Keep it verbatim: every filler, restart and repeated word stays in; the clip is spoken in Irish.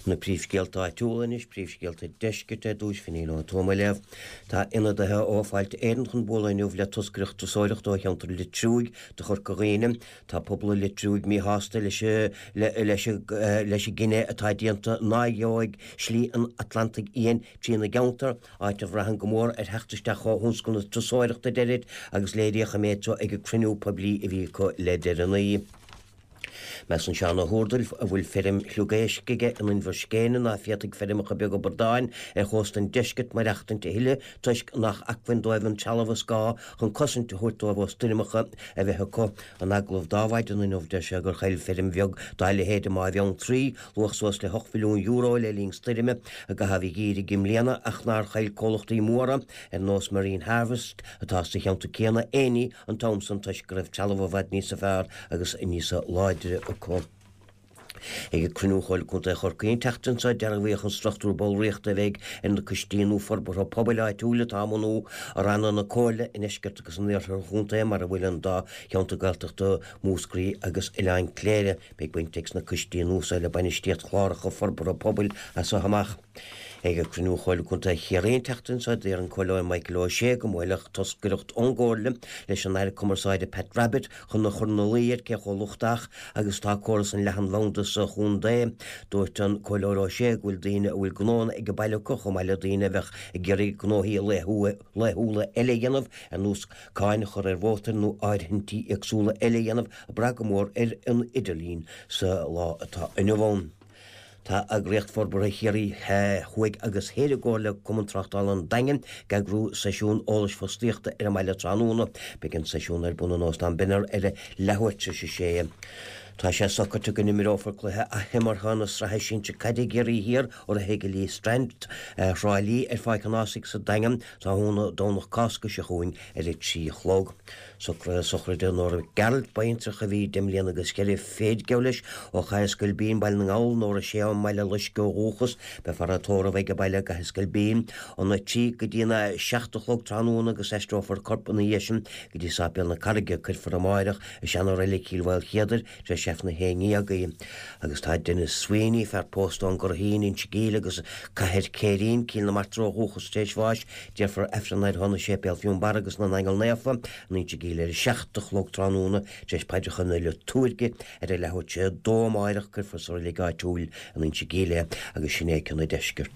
Na príomhscéalta áitiúla anois, príomhscéalta deiscirt ar dtús Finín Ó Tuama á léamh. Tá ionadaithe ó Fáilte Éireann chun bualadh inniu le toscaireacht turasóireachta ó cheantar Leitriúigh do Chorca Dhuibhne. Tá pobal an Leitriúigh míshásta leis leis leis an gcinneadh atá déanta ná gheobhaidh slí an Atlantaigh Fhiáin trína gceantar, áit a bhraitheann go mór ar theacht isteach ó thionscal na turasóireachta a deirid agus léiríodh an méid seo ag an cruinniú poiblí a bhí acu le deireanaí. Measann Seán Ó hÚrdail, a bhfuil feirm shliogaisc aige in Inbhir Scéine, ná féadfaidh feirmeacha beaga bradáin ar chósta an deiscirt maireachtaint a thuilleadh toisc nach acmhainn dóibh an trealamh is gá chun cosaint a thabhairt dóibh ó stoirmeacha a bheith acu. In agallamh d'Adhmhaidin inniu deir sé gur chaill feirm bheag dá leithéid i mBá Bheanntraí luach suas le hocht mhilliún euro le linn stoirme i gcaitheamh an gheimhridh i mbliana ach nár chaill comhlachtaí móra ar nós Marine Harvest atá sa cheantar céanna aon ní an t-am san toisc go raibh trealamh i bhfad níosa fearr agus níosa láidre acu. Ag cruinniú Chomhairle Contae Chorcaí an tseachtain seo dearbhaíodh an struchtúr ballraíochta a bheidh ar na coistí nua forbartha pobail áitiúil atá á mbunú i ranna na Comhairle i ndeisceart agus in iarthar an chontae mar a bhfuil an dá cheantar Gaeltachta Múscraí agus Oileán Cléire. Beidh baint ag na coistí nua seo le bainistíocht chláracha forbartha pobail as seo amach. Ag cruinniú Chomhairle Contae Chiarraí an tseachtain seo d'iarr an Comhairleoir Michael O'Shea go mbuailfeadh toscaireacht ón gComhairle leis an Aire Cumarsáide Pat Rabbitte chun a chur ina luí air cé chomh lochtach agus atá córas an leathanbhanda sa chontae. Dúirt an Comhairleoir O'Shea go bhfuil daoine a bhfuil gnónna ag baile acu chomh maith le daoine a bheadh ag iarraidh gnóthaí laethúla eile a dhéanamh ar nós cáin a chur ar mhótair nó áirithintí éagsúla eile a dhéanamh ag brath go mór ar an idirlíon sa lá atá inniu ann. Tá eagraíocht forbartha Chiarraí Thuaidh agus Thoir i gcomhar le Cumann Tráchtála an Daingin ag eagrú seisiún eolais fostaíochta ar an mbaile tráthnóna. Beidh an seisiún ar bun in Óstán Binner ar a leathuair tar éis a sé. Tá sé socraithe go n-imreofar cluiche athimeartha na sraithe sinsir caide i gCiarraí Thiar urraithe ag Lee Strand Thrá Lí ar Pháirc an Ághasaigh sa Daingean tráthnóna Domhnach Cásca seo chugainn ar a trí a chlog. Socruithe sochraide Nóra Gearailt, baintreach a bhí deich mbliana agus ceithre fichid geall leis ó Chathair Scoilbín, Baile na nGall, Nóra Sé ón mBaile Loiscthe ó dhúchas, beifear á tórramh ag an baile i gCathair Scoilbín óna trí go dtí na seacht a chlog tráthnóna agus aistreofar a corp ina dhiaidh sin go dtí Sáipéal na Carraige. Cuirfear amáireach i seana-reilig Chill Mhaoilchéadair tar éis Aifreann a haon déag í. Agus tá Denis Sweeney, fear pósta ón gCurraichín, Inse Gíl agus Cathair Céirín, Cill na Martra ó dhúchas tar éis bháis, déarfar Aifreann ar a shon i Séipéal Fionnbarra agus na nAingeal Naofa in Inse Gíl ar a seacht a chlog tráthnóna tar éis paidreacha na liotúirge ar a leathuair tar éis a dó amáireach cuirfear sa reilig áitiúil in Inse Gíl é agus sin é cionn an deiscirt.